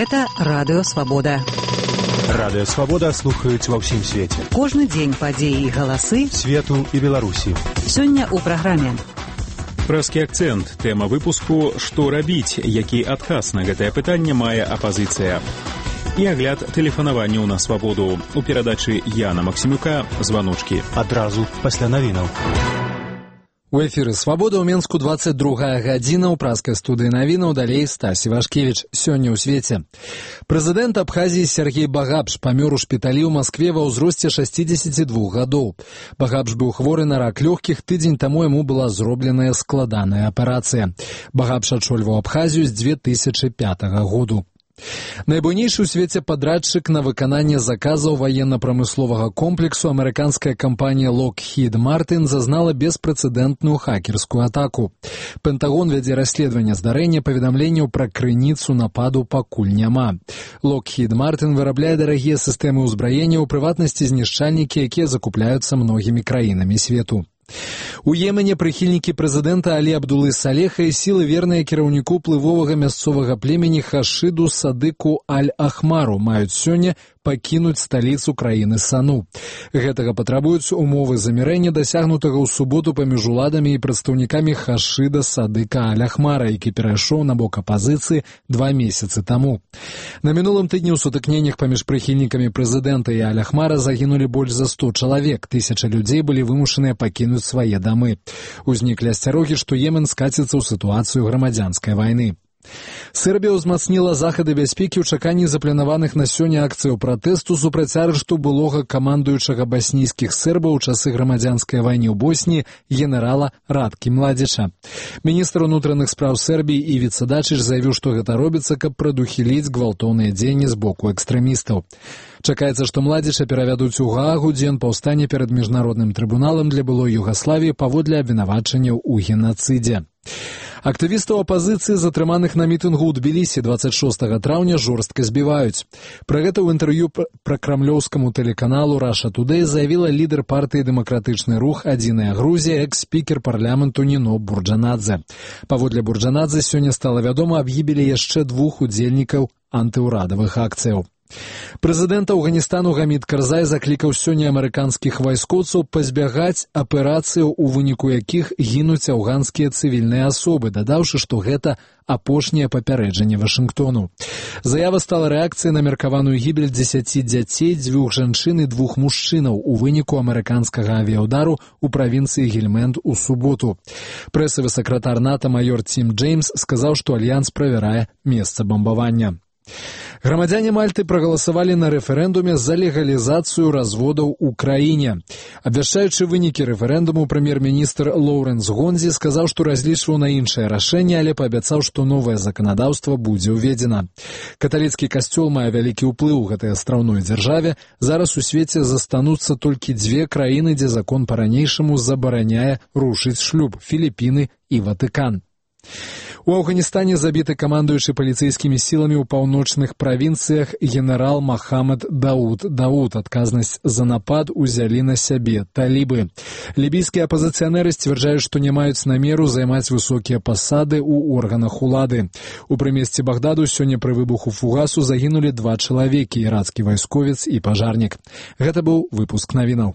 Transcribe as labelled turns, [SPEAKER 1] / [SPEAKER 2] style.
[SPEAKER 1] Гэта Радыё Свабода.
[SPEAKER 2] Радыё Свабода слухаюць ва ўсім свеце.
[SPEAKER 1] Кожны дзень падзеі і галасы
[SPEAKER 2] свету і Беларусі.
[SPEAKER 1] Сёння ў праграме.
[SPEAKER 3] Прэскі акцэнт. Тэма выпуску «Што рабіць?», які адказ на гэтае пытанне мае апазіцыя. І агляд тэлефанаванняў на свабоду. У перадачы Яна Максімюка «Званочкі».
[SPEAKER 2] Адразу пасля навінаў.
[SPEAKER 4] У эфіры «Свабода» ў Менску 22 гадзіна, ў праскай студыі навінаў, далей Стасі Вашкевіч. Сёння ў свеце. Прэзідэнт Абхазіі Сергей Багапш памёр у шпіталі ў Маскве ва ўзросце 62 гадоў. Багапш быў хворы на рак лёгкіх, тыдзень таму яму была зробленая складаная аперацыя. Багапш ачольваў Абхазію з 2005 году. Найбуйнейшы ў свеце падрадчык на выкананне заказаў ваенна-прамысловага комплексу амерыканская кампанія Lockheed Martin зазнала беспрэцэдэнтную хакерскую атаку. Пентагон вядзе расследаванне здарэння, паведамленняў пра крыніцу нападу пакуль няма. Lockheed Martin вырабляе дарагія сістэмы ўзбраення, у прыватнасці знішчальнікі, якія закупляюцца многімі краінамі свету. У Йемене прыхільнікі прэзідэнта Алі Абдулы Салеха і сілы верныя кіраўніку плывовага мясцовага племені Хашыду Садыку Аль-Ахмару маюць сёння пакінуць сталіцу краіны Сану. Гэтага патрабуюць умовы замірэння, дасягнутага ў суботу паміж уладамі і прадстаўнікамі Хашыда Садыка Аль-Ахмара, які перайшоў на бок апазіцыі 2 месяцы таму. На мінулым тыдні ў сутыкненнях паміж прыхільнікамі прэзідэнта і Аль-Ахмара загінулі больш за 100 чалавек. 1000 людзей былі вымушаныя пакінуць свае дамы. Узніклі асцярогі, што Йемен скаціцца ў сітуацыю грамадзянскай вайны. Сербія ўзмацніла захады бяспекі ў чаканні запланаваных на сёння акцыяў пратэсту супраць арышту былога камандуючага баснійскіх сербаў у часы грамадзянскай вайны ў Босніі генерала Радкі Младзіча. Міністр унутраных спраў Сербіі Івіца Дачыч заявіў, што гэта робіцца, каб прадухіліць гвалтоўныя дзеянні з боку экстрэмістаў. Чакаецца, што Младзіча перавядуць у Гаагу, дзе ён паўстане перад міжнародным трыбуналам для былой Югаславіі паводле абвінавачанняў у генацыдзе. Актывістаў апазіцыі, затрыманых на мітынгу ў Тбілісі 26 траўня, жорстка збіваюць. Пра гэта ў інтэрв'ю пра крамлёўскаму тэлеканалу Russia Today заявіла лідар партыі «Дэмакратычны рух. Адзіная Грузія», экс-спікер парламенту Ніно Бурджанадзе. Паводле Бурджанадзе сёння стала вядома аб гібелі яшчэ 2 удзельнікаў антыўрадавых акцыяў. Прэзідэнт Афганістану Гамід Карзай заклікаў сёння амерыканскіх вайскоўцаў пазбягаць аперацыяў, у выніку якіх гінуць афганскія цывільныя асобы, дадаўшы, што гэта апошняе папярэджанне Вашынгтону. Заява стала рэакцыяй на меркаваную гібель 10 дзяцей, 2 жанчын і 2 мужчынаў у выніку амерыканскага авіяўдару ў правінцыі Гельмэнд у суботу. Прэсавы сакратар НАТО майор Тім Джеймс сказаў, што альянс правярае месца бамбавання. Грамадзяне Мальты прагаласавалі на рэферэндуме за легалізацыю разводаў у краіне. Абвяшчаючы вынікі рэферэндуму, прэм'ер-міністр Лоўрэнс Гонзі сказаў, што разлічваў на іншае рашэнне, але паабяцаў, што новае заканадаўства будзе ўведзена. Каталіцкі касцёл мае вялікі ўплыў у гэтай астраўной дзяржаве. Зараз у свеце застануцца толькі 2 краіны, дзе закон па-ранейшаму забараняе рушыць шлюб – Філіпіны і Ватыкан. У Афганістане забіты камандуючы паліцэйскімі сіламі ў паўночных правінцыях генерал Махамад Дауд. Адказнасць за напад узялі на сябе талібы. Лібійскія апазіцыянеры сцвярджаюць, што не маюць намеру займаць высокія пасады ў органах улады. У прымесці Багдаду сёння пры выбуху фугасу загінулі 2 чалавекі – ірацкі вайсковец і пажарнік. Гэта быў выпуск навінаў.